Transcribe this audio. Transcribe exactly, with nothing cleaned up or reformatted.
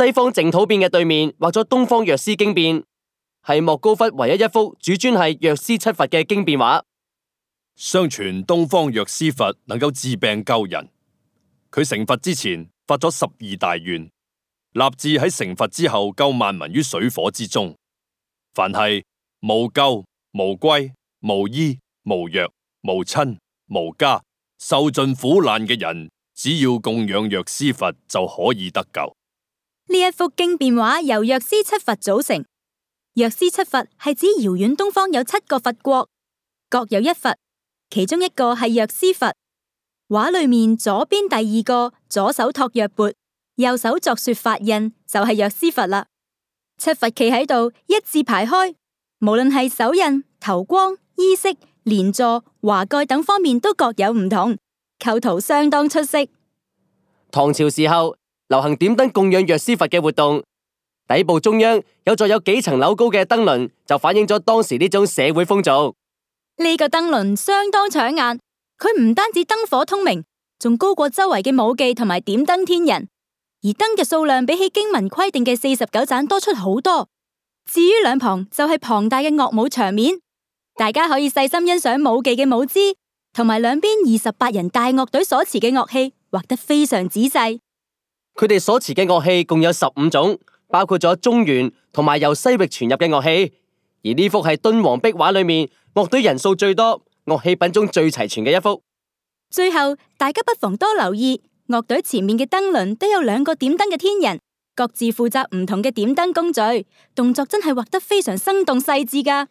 西方淨土變嘅對面畫咗東方藥師經變，係莫高窟唯一一幅主尊係藥師七佛嘅經變畫。相傳東方藥師佛能夠治病救人，佢成佛之前發咗十二大願，立志喺成佛之後救萬民於水火之中。凡係無救、無歸、無依、無藥、無親、無家，受盡苦難嘅人，只要供養藥師佛就可以得救。呢一幅經變畫由藥師七佛組成。藥師七佛係指遙遠東方有七個佛國，各有一佛，其中一個係藥師佛。畫裏面左邊第二個左手托藥缽，右手作說法印，就係藥師佛啦。七佛企喺度一字排開，無論係手印、頭光、衣飾、蓮座、華蓋等方面都各有唔同，構圖相當出色。唐朝時候流行點燈供養藥師佛嘅活動，底部中央有座有幾層樓高嘅燈輪，就反映咗當時呢種社會風俗。呢個燈輪相當搶眼，佢唔單止燈火通明，仲高過周圍嘅舞伎同埋點燈天人，而燈嘅數量比起經文規定嘅四十九盞多出好多。至於兩旁就係龐大嘅樂舞場面，大家可以細心欣賞舞伎嘅舞姿，同埋兩邊二十八人大樂隊所持嘅樂器，畫得非常仔細。佢哋所持嘅樂器共有十五種，包括咗中原同埋由西域傳入嘅樂器。而呢幅係敦煌壁畫裏面樂隊人數最多、樂器品種最齊全嘅一幅。最後，大家不妨多留意樂隊前面嘅燈輪都有兩個點燈嘅天人，各自負責唔同嘅點燈工序，動作真係畫得非常生動細緻㗎。